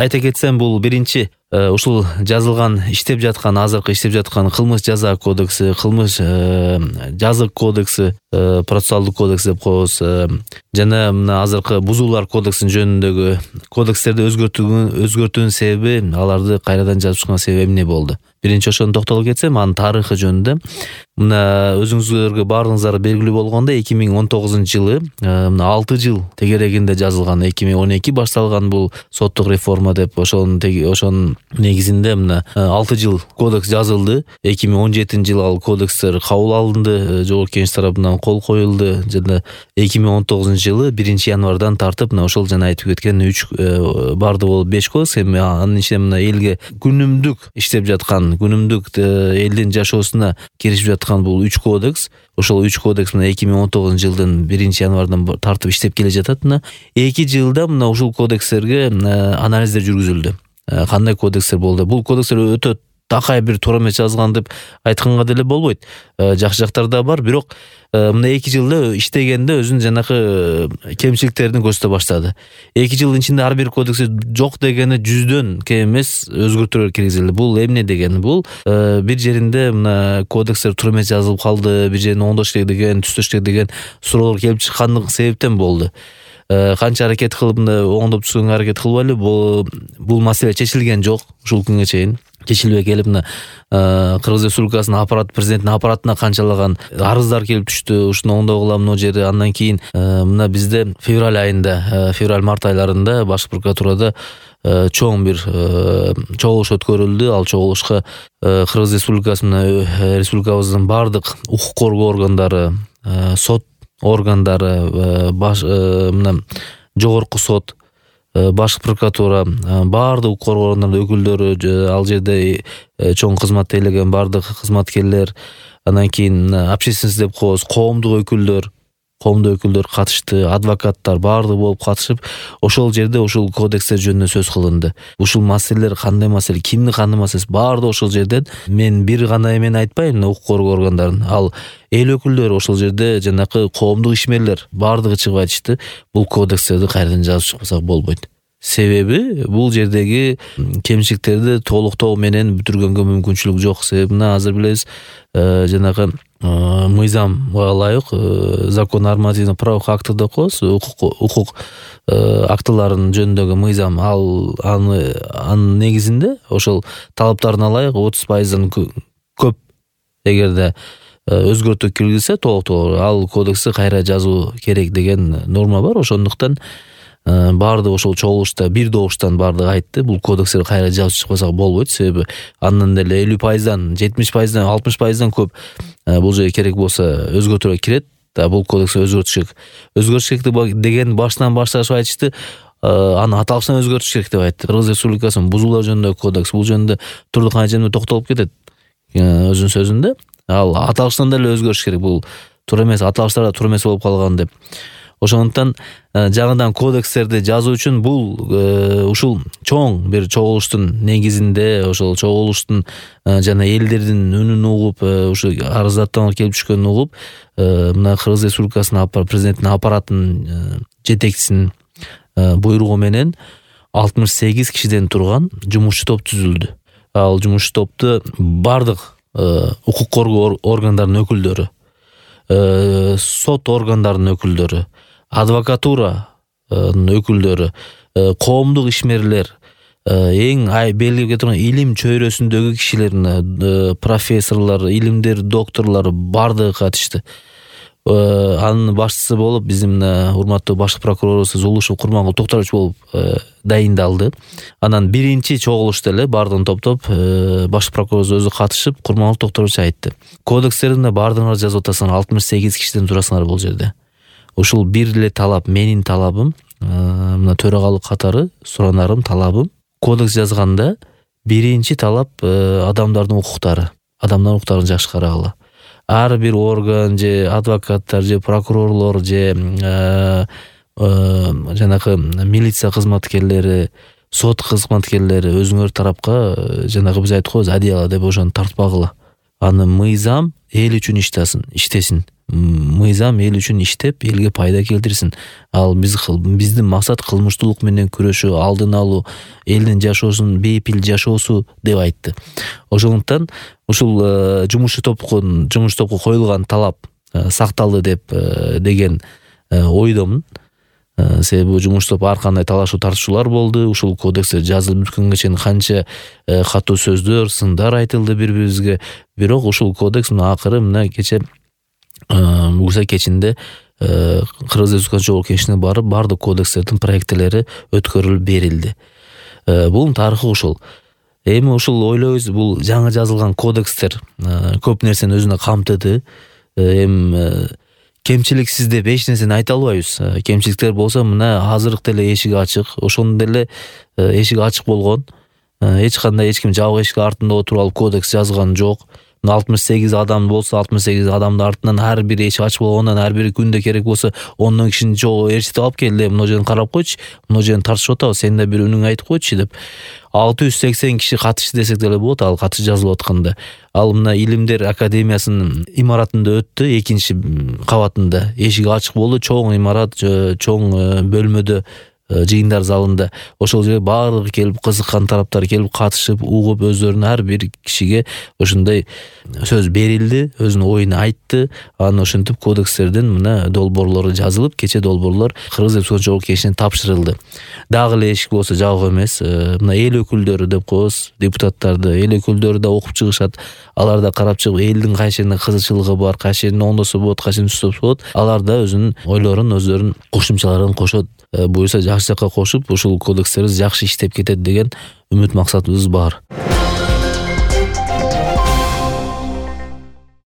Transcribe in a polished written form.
айта кетсем, бул биринчи ушул жазылган азыркы иштеп жаткан кылмыш жаза кодекси, кылмыш жазык кодекси, процессуалдык кодекс деп коебуз, жана мына азыркы бузуулар кодексинин жөнүндөгү кодекстерди өзгөртүүнүн себеби, аларды кайрадан жазып чыккан себеби эмне болду? Биринчи ошону токтолуп кетсем, анын тарыхы жөнүндө. Мына өзүңүзгө баарыңыздарга белгилүү болгондой, 2019-жылы мына 6 жыл тегерегинде жазылган, 2012 башталган бул соттук реформа деп, ошонун негизинде мына 6 жыл кодекс жазылды. 2017-жылы ал кодекстер кабыл алынды, Жогорку Кеңеш тарабынан кол коюлду жана 2019-жылы 1-январдан тартып мына ошол жана айтып кеткен 3 барды болуп 5 кодекс, эми анын ичинде мына элге күнүмдүк иштеп жаткан, күнүмдүк элдин жашоосуна киришип жаткан бул 3 кодекс. Ошол 3 кодекс мына 2019-жылдын 1-январдан тартып иштеп келе жатат. Мына 2 жылда мына ушул кодекстерге анализдер жүргүзүлдү. Кандай кодекстер болду? Бул кодекстер өтө такай бир туура эмес жазылган деп айтканга деле болбойт. Жакшы жактары да бар, бирок мына 2 жылда иштегенде өзүнүн жанакы кемчиликтерин көрсөтө баштады. 2 жылдын ичинде ар бир кодексте жок дегени 100дөн кем эмес өзгөртүүлөр киргизилди. Бул эмне дегени? Бул бир жеринде мына кодекстер туура эмес жазылып калды, бир жерин оңдош керек деген, түзөш керек деген суроолор келип чыккандык себептен болду. Канча аракет кылып оңдоп түзгөнгө аракет кылбайлы, бул маселе чечилген жок ушул күнгө чейин. Чечилбей келип мына Кыргыз Республикасынын аппарат, президенттин аппаратына канчалаган арыздар келип түштү. Ушуну оңдогула мына жери. Андан кийин мына бизде февраль айында, февраль-март айларында Баш прокуратурада чоң бир чогулуш өткөрүлдү. Ал чогулушка Кыргыз республикабыздын бардык укук коргоо органдары, сот органдары, мына жогорку сот, Баш прокуратура, бардык укук коргоо органдарынын өкүлдөрү, ал жерде чоң кызматты ээлеген бардык кызматкерлер, андан кийин общественность деп коебуз, коомдук өкүлдөр катышты, адвокаттар бардыгы болуп катышып, ошол жерде ушул кодекстер жөнүндө сөз кылынды. Ушул маселелер кандай маселе, кимдин кандай маселеси, бардыгы ошол жерден. Мен бир гана эмен айтпайм, укук коргоо органдарын, ал эл өкүлдөрү, ошол жерде жанакы коомдук ишмерлер бардыгы чыгып айтышты, бул кодекстерди кайрадан жазып чыкпасак болбойт. Себеби бул жердеги кемчиликтерди толуктоо менен бүтүргөнгө мүмкүнчүлүк жок. Себеби мына азыр билебиз, жанагы мыйзамга ылайык закон нормативно правовых актов деп коебуз, укук актыларынын жөнүндөгү мыйзам, анын негизинде ошол талаптарына ылайык 30%дан көп эгерде өзгөртүү киргизсе толуктоо, ал кодексти кайра жазуу керек деген норма бар. Ошондуктан бардыгы ошол чогулушта бир добуштан бардыгы айтты, бул кодекстерди кайра жазып чыкпасак болбойт. Себеби андан деле 50%дан, 70%дан, 60%дан көп бул жерге керек болсо өзгөртүүлөр кирет. Бул кодексти өзгөртүш керек деген башынан башташып айтышты. Аны аталыштан өзгөртүш керек деп айтты. Кыргыз Республикасынын бузуулар жөнүндөгү кодекс, бул жөнүндө Турдукан эжеме токтолуп кетет өзүнүн сөзүндө. Ал аталыштан деле өзгөрүш керек, бул туура эмес, аталыштар да туура эмес болуп калган деп. Ошондуктан жаңыдан кодекстерди жазуу үчүн бул ушул чоң бир чогулуштун негизинде, ошол чогулуштун жана элдердин үнүн угуп, ушу арыздаттуулар келип түшкөнүн угуп, мына Кыргыз Республикасынын президенттин аппаратынын жетекчисинин буйругу менен 68 кишиден турган жумушчу топ түзүлдү. Ал жумушчу топту бардык укук коргоо органдарынын өкүлдөрү, сот органдарынын өкүлдөрү, адвокатуранын өкүлдөрү, коомдук ишмерлер, эң белгилеп турган илим чөйрөсүндөгү кишилер, профессорлор, илимдер докторлору бардыгы катышты. Анын башчысы болуп биздин урматтуу баш прокурорубуз Зулушев Курмангул Токторович болуп дайындалды. Анан биринчи чогулушта эле бардыгын топтоп баш прокурорубуз өзү катышып, Курмангул Токторович айтты: кодекстеринде бардыгыңар жазып атасыңар, 68 кишиден турасыңар бул жерде. Ушул бир эле талап, менин талабым, мына төрагалык катары суранарым, талабым, кодекс жазганда биринчи талап адамдардын укуктарын жакшы карагыла. Ар бир орган же адвокаттар же прокурорлор же жанакы милиция кызматкерлери, сот кызматкерлери өзүңөр тарапка жанагы биз айтып коебуз одеяло деп ошону тартпагыла. Аны мыйзам эл үчүн иштесин. мыйзам эл үчүн иштеп, элге пайда келтирсин. Ал биздин максат кылмыштуулук менен күрөшүү, алдын алуу, элдин жашоосун бейпил жашоосу деп айтты. Ошондуктан ушул жумуш топко коюлган талап сакталды деген ойдомун. Себеби бул жумуш топ ар кандай талашуу тартышуулар болду. Ушул кодексте жазылып бүткөнгө чейин канча катуу сөздөр, сындар айтылды бири-бирибизге. Бирок ушул кодекс акыры мына бугуза кечинде Кыргыз Республикасы Жогорку Кеңешине барып, бардык кодекстердин проекттери өткөрүлүп берилди. Бул тарыхы ушул. Эми ушул ойлойбуз, бул жаңы жазылган кодекстер көп нерсени өзүнө камтыды. Эми кемчиликсиз деп эч нерсени айта албайбыз. Кемчиликтер болсо мына азыркы деле эшиги ачык, ошондо деле эшиги ачык болгон. Эч кандай эч ким жабык эшик артында отуруп алып кодекс жазган жок. 68 адам болсо, 68 адамдын артынан ар бири эшик ачык болгондон ар бири күндө керек болсо 10 кишини чогуу ээрчитип алып келди. Мына жерин карап койчу, мына жерин тартышып атабыз, сен да бир үнүң айтып койчу деп. 680 киши катышты десек деле болот, ал катыш жазылып атканда. Ал мына Илимдер академиясынын имаратында өттү, 2-кабатында. Эшиги ачык болду, чоң имарат, чоң бөлмөдө, жыйындар залында. Ошол жерге баардыгы келип, кызыккан тараптар келип катышып, угуп, өздөрүнө ар бир кишиге ошондой сөз берилди, өзүнүн оюн айтты. Анан ошентип кодекстердин мына долбоорлору жазылып, кече долбоорлор Кыргыз Республикасы Жогорку Кеңешине тапшырылды. Дагы эле эшик болсо жабык эмес. Мына эл өкүлдөрү деп коебуз, депутаттарды, эл өкүлдөрү да окуп чыгышат. Алар да карап чыгып, элдин кайсы жеринде кызыкчылыгы бар, кайсы жерин оңдосо болот, кайсы жерин түзсө болот. Алар да өзүнүн ойлорун, өздөрүнүн кошумчаларын кошот. Буюрса жакшы жакка кошуп, ушул кодекстерибиз жакшы иштеп кетет деген үмүт максатыбыз бар.